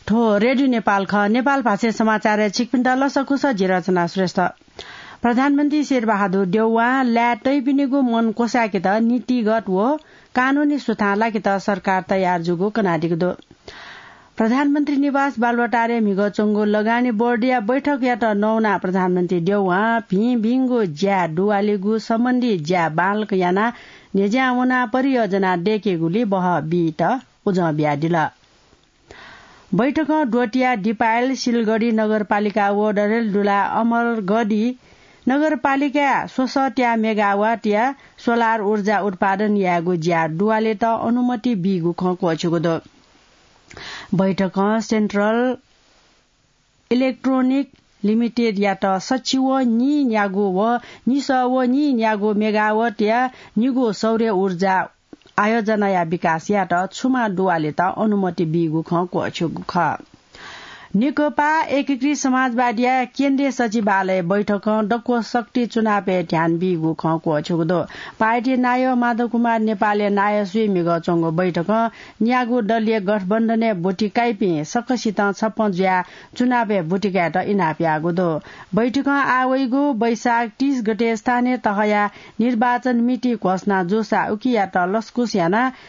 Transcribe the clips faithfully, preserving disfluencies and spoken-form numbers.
थ्व रेडियो नेपाल खः। नेपाल भाषाय् समाचारय् छिकपिन्त लसकुस, जि रचना श्रेष्ठ। प्रधानमन्त्री शेरबहादुर देउवां लाय् तइपिनिगु मन क्वसाय्केत नीतिगत व कानूनी सुथां लाकेत सरकार तयार जूगु कनादीगु दु। प्रधानमन्त्री निवास बालुवाटारय् म्हिगः च्वंगु लगानी बोर्डया बैठकयात नवानाः प्रधानमन्त्री देउवां भिंभिंगु ज्या दुवालेगु सम्बन्धी ज्या बांलाक यानाः न्ह्यज्यां वनाः परियोजना दय्केगुली बहः बीत उजं बियादिल। बैठकं द्वःतिया दिपायल, सिलगढी नगरपालिका व डडेलधुरा अमरगढी नगरपालिकाय् स्वसः त्या मेगावाटया सोलार ऊर्जा उत्पादन यायेगु ज्या दुवालेत अनुमति बीगु खँ क्वःछ्यूगु दु। बैठकं सेन्ट्रल इलेक्ट्रोनिक लिमिटेडयात सछि व नीन्यागू व निसः व नीन्यागू मेगावाटया निगू सौर्य ऊर्जा आयोजनाया विकास यायेत छुमा दुवालेत अनुमति बीगु खँ क्वःछ्यूगु खः। नेकपा एकीकृत समाजवादीया केन्द्रीय सचिवालय बैठकं दक्व शक्ति चुनावय् ध्यान बीगु खँ क्वःछ्यूगु दु। पार्टी नायः माधव कुमार नेपालया नायःसुइ म्हिगः च्वंगु बैठकं न्यागू दलीय गठबन्धनय् ब्वति काइपिं सकसितं छप्पँ जुयाः चुनावय् ब्वति कायेत इनाप याःगु दु। बैठकं आः वइगु वैशाख तीस गते स्थानीय तहया निर्वाचन मिति घोषणा जूसा उकियात लसकुस यानाः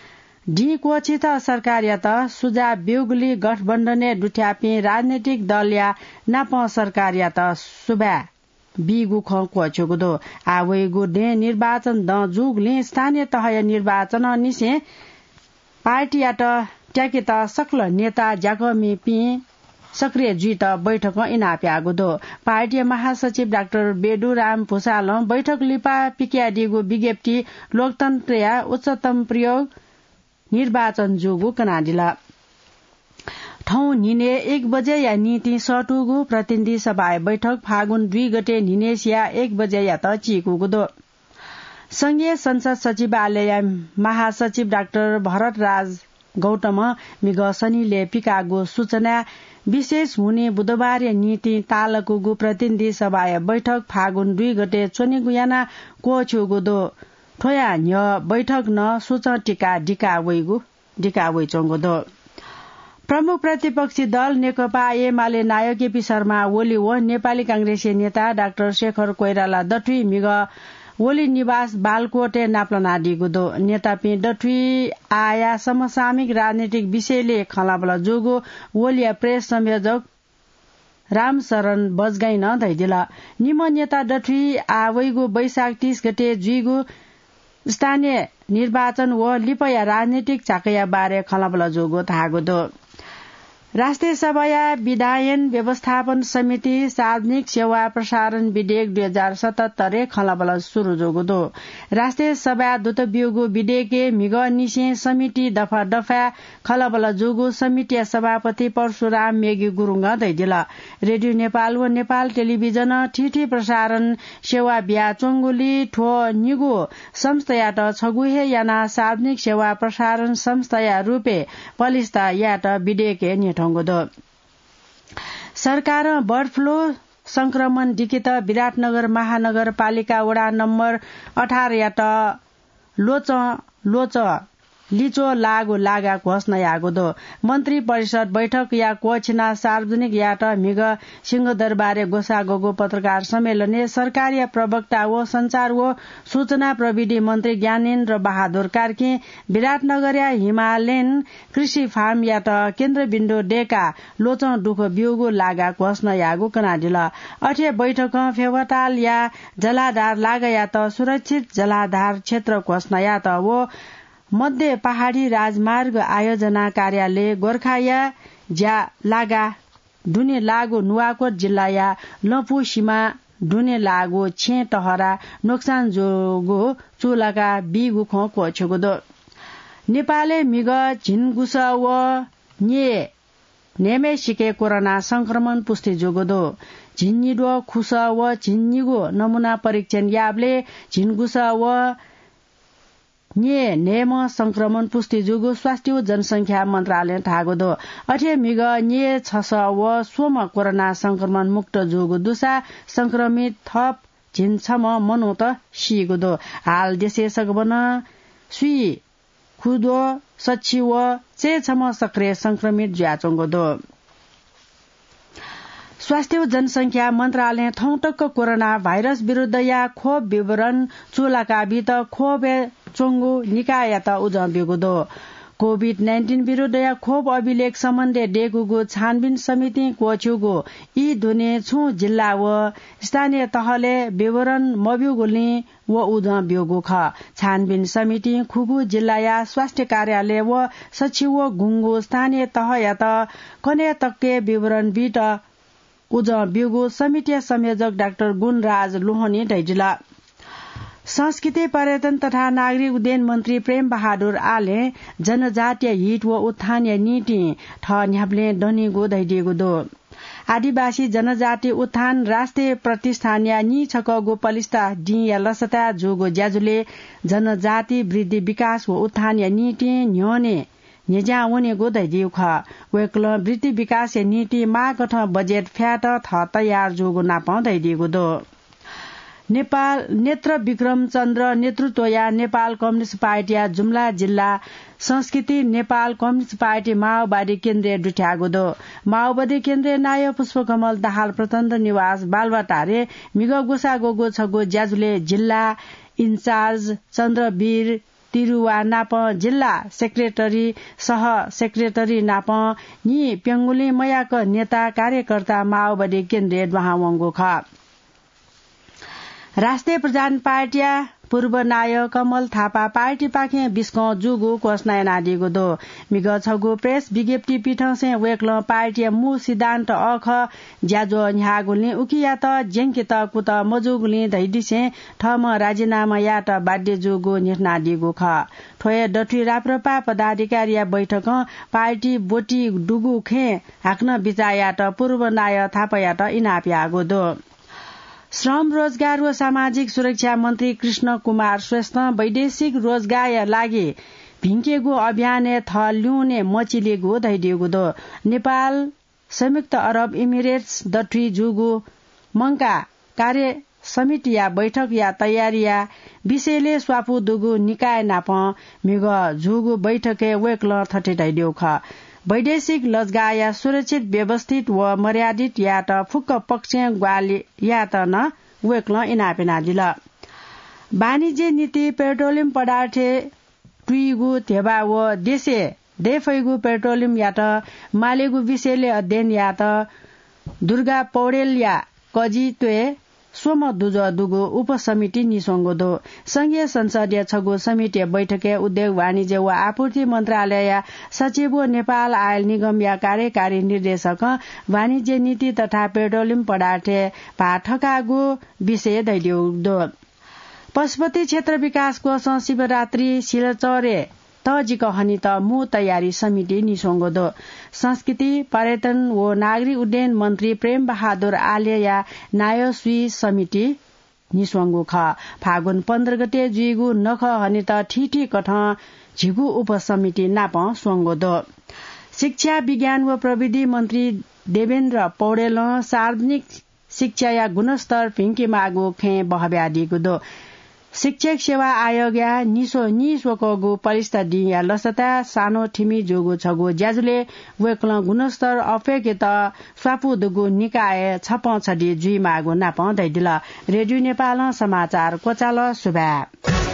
दिं क्वःछित सरकारयात सुझाव ब्यूगुली गठबन्धनय् दुथ्याःपिं राजनैतिक दलया नापं सरकारयात सुभाय् बीगु खँ क्वःछ्यूगु दु। आः वइगु दँय् निर्वाचन दँ जूगुलिं स्थानीय तहया निर्वाचनंनिसें पार्टीयात त्याकेत सकल नेता ज्याकःमिपिं सक्रिय जुइत बैठकं इनाप याःगु दु। पार्टीया महासचिव डाक्टर बेदुराम भुसालं बैठक लिपा पिकयादीगु विज्ञप्ति लोकतन्त्रया उच्चतम प्रयोग निर्वाचन जूगु कनादिल। थौं न्हिनय् एक बजेया निंतिं सःतूगु प्रतिनिधि सभाया बैठक फागुन दुई गते न्हिनय्सिया एक बजेयात चीकूगु दु। संघीय संसद सचिवालयया महासचिव डाक्टर भरतराज गौतमं म्हिगः सनिलय् पिकाःगु सूचनाय् विशेष हुनिं बुधबारया निंतिं ताःलाकूगु प्रतिनिधि सभाया बैठक फागुन दुई गते च्वनेगु यानाः क्वःछ्यूगु दु। थ्वया न्ह्यः बैठक नं सूचं तिकाः दिका वइगु दिका वइच्वंगु दु। प्रमुख प्रतिपक्षी दल नेकपा एमाले नायः केपी शर्मा ओली व नेपाली कांग्रेसया नेता डाक्टर शेखर कोइराला दथुइ म्हिगः ओली निवास बालकोटय् नापलानादीगु दु। नेतापिं दथुइ आःया समसामयिक राजनैतिक विषयलय् खँल्हाबल्हा जूगु ओलीया प्रेस संयोजक रामशरण बजगाईं नं धयादिल। निम्ह नेता दथुइ आः वइगु वैशाख तीस गते जुइगु स्थानीय निर्वाचन व लिपाया राजनैतिक झाँक्रीया बारे खँल्हाबल्हा जूगु धाःगु दु। राष्ट्रिय सभाया विधायन व्यवस्थापन समिति सार्वजनिक सेवा प्रसारण विधेयक दुई हजार सतहत्तरय् खँल्हाबल्हा सुरु जूगु दु। राष्ट्रिय सभाया दूत ब्यूगु विधेयकय् म्हिगःनिसें समिति दफा दफाय् खँल्हाबल्हा जूगु समितिया सभापति परशुराम मेघी गुरुङं धयादिल। रेडियो नेपाल व नेपाल टेलिभिजनं थीथी प्रसारण सेवा बियाच्वंगुलिं थ्व निगू संस्थायात छगू हे यानाः सार्वजनिक सेवा प्रसारण संस्थाया रूपय् पलिस्था यायेत विधेयकय् न्ह्यथंगु दु। सरकारं बर्ड फ्लू संक्रमण दिकेत विराटनगर महानगरपालिका वडा नम्बर अठारयात ल्वचं ल्वचं लिच्वः लाःगु लागा घोषणा याःगु दु। मन्त्री परिषद बैठकया क्वःछिनाः सार्वजनिक यायेत म्हिगः सिंहदरबारय् ग्वसाः ग्वःगु पत्रकार सम्मेलनय् सरकारया प्रवक्ता व सञ्चार व सूचना प्रविधि मन्त्री ज्ञानेन्द्र बहादुर कार्कीं विराटनगरया हिमालयन कृषि फार्मयात केन्द्रबिन्दु दय्काः ल्वचं दुःख ब्यूगु लागा घोषणा याःगु कनादिल। अथे बैठकं फेवातालया जलाधार लागायात सुरक्षित जलाधार क्षेत्र घोषणा यात व मध्य पहाडी राजमार्ग आयोजना कार्यालय गोर्खाया ज्या लागा दुने लाःगु नुवाकोट जिल्लाया लँपु सिमा दुने लाःगु छेँ तहरा नोक्सान जूगु चूलाका बीगु खँ क्वःछ्यूगु दु। नेपालय् म्हिगः झिंगुसः व न्ये न्हय्म्हय्सिके कोरोना संक्रमण पुष्टि जूगु दु। झिंनिद्वः खुसः व झिंनिगू नमूना परीक्षण याःबलय् झिंगुसः व न्ये न्हय्म्ह संक्रमण पुष्टि जूगु स्वास्थ्य व जनसंख्या मन्त्रालयं धाःगु दु। अथे म्हिगः न्ये छसः व स्वम्ह कोरोना संक्रमण मुक्त जूगु दुसा संक्रमित थप झिंछम्ह मनूत सीगु दु। हाल देशय् सकभनं स्वीकुद्वः सछि व चय्छम्ह सक्रिय संक्रमित जुयाच्वंगु दु। स्वास्थ्य व जनसंख्या मन्त्रालयं थौं तक कोरोना भाइरस विरुद्धया खोप विवरण चूलाका बीत खोपय् च्वंगु निकाययात उजं ब्यूगु दु। कोभिड नाइन्टिन विरुद्धया खोप अभिलेख सम्बन्धय् दयेकूगु छानबिन समितिं क्वःछिउगु ई दुने छुं जिल्ला व स्थानीय तहलय् विवरण मब्यूगुलिं व उजं ब्यूगु खः। छानबिन समितिं खुगू जिल्लाया स्वास्थ्य कार्यालय व सछि व गुंगू स्थानीय तहयात कन्हय् तकके विवरण बीत उजं ब्यूगु समितिया संयोजक डाक्टर गुणराज लोहनीं धयादिल। संस्कृति, पर्यटन तथा नागरिक उड्डयन मन्त्री प्रेम बहादुर आलें जनजातीय हित व उत्थानया निंतिं थः न्ह्याबलें दनीगु धयादीगु दु। आदिवासी जनजाति उत्थान राष्ट्रिय प्रतिष्ठानया नीछकःगु पलिस्था दिंया लसताय् जूगु ज्याझ्वलय् जनजाति वृद्धि विकास व उत्थानया निंतिं न्ह्यःने न्ह्यज्यां वनेगु धयादीगु खः। वय्कलं वृद्धि विकासया निंतिं माःकथं बजेट फ्यायेत थः तयार जूगु नापं धयादीगु दु। नेपाल नेत्र विक्रम चन्द्र नेतृत्वया नेपाल कम्युनिस्ट पार्टीया जुम्ला जिल्ला संस्कृति नेपाल कम्युनिस्ट पार्टी माओवादी केन्द्रय् दुथ्याःगु दु। माओवादी केन्द्रय् नायः पुष्पकमल दाहाल प्रचण्ड निवास बालुवाटारय् म्हिगः ग्वसाः ग्वःगु छगू ज्याझ्वलय् जिल्ला इन्चार्ज चन्द्रवीर तिरुवा नाप जिल्ला सेक्रेटरी, सह सेक्रेटरी नाप न्हि प्यंगुलिं मयाक नेता कार्यकर्ता माओवादी केन्द्रय् दुहां वंगु खः। राष्ट्रिय प्रजातन्त्र पार्टीया पूर्व नायः कमल थापा पार्टीपाखें बिस्कं जूगु घोषणा यानादीगु दु। म्हिगः छगू प्रेस विज्ञप्ति पिथंसें वय्कलं पार्टीया मू सिद्धान्त अःखः ज्याझ्वः न्ह्याःगुलिं उकियात ज्यंकेत कुतः मजूगुलिं धइदिसें थःम्हं राजीनामा यायेत बाध्य जूगु न्ह्यथनादीगु खः। थ्व हे दथुइ राप्रपा पदाधिकारीया बैठकं पार्टी ब्वति दुगु खँय् हाकनं बिचाः यायेत पूर्व नायः थापायात इनाप याःगु दु। श्रम, रोजगार व सामाजिक सुरक्षा मन्त्री कृष्ण कुमार श्रेष्ठं वैदेशिक रोजगारया लागि भिंकेगु अभियानय् थः ल्यूने मचिलेगु धइदीगु दु। नेपाल संयुक्त अरब इमिरेट्स दथुइ जूगु मंकाः कार्य समितिया बैठकया तयारीया विषयलय् स्वापू दुगु निकाय नाप म्हिगः जूगु बैठकय् वय्कलं थथे धयादीगु खः। वैदेशिक लजगाःया सुरक्षित, व्यवस्थित व मर्यादित यायेत फुक्क पक्षं ग्वाहालि यायेत नं वय्कलं इनाप यानादिल। वाणिज्य नीति पेट्रोलियम पदार्थ तुइगु ध्यबा व देशय् दयेफइगु पेट्रोलियमयात मालेगु विषयलय् अध्ययन यायेत दुर्गा पौडेलया कजित्वय् स्वम्ह दुजः दुगु उपसमिति निस्वंगु दु। संघीय संसदया छगू समितिया बैठकय् उद्योग, वाणिज्य व आपूर्ति मन्त्रालयया सचिव व नेपाल आयल निगमया कार्यकारी निर्देशकं वाणिज्य नीति तथा पेट्रोलियम पदार्थय् भाः थकाःगु विषय धयादीगु दु। पशुपति क्षेत्र विकास कोषं शिवरात्रि सिलाचह्रे तःजिक हनेत मू तयारी समिति निस्वंगु दु। संस्कृति, पर्यटन व नागरिक उड्डयन मन्त्री प्रेम बहादुर आलेया नायःसुइ समिति निस्वंगु खः। फागुन पन्ध्र गते जुइगु नखः हनेत थीथी कथं झिगू उपसमिति नाप स्वंगु दु। शिक्षा, विज्ञान व प्रविधि मन्त्री देवेन्द्र पौडेलं सार्वजनिक शिक्षाया गुणस्तर भिंकेमाःगु खँय् बहब्यादीगु दु। शिक्षक सेवा आयोगया निस्व-, निस्वकःगु पलिस्था दिंया लसताय् सानो थिमि जूगु छगू ज्याझ्वलय् वय्कलं गुणस्तर अप्वय्केत स्वापू दुगु निकाय छपं छधी जुइमाःगु नाप धयादिल। रेडियो नेपालं समाचार क्वचाल। सुभाय्।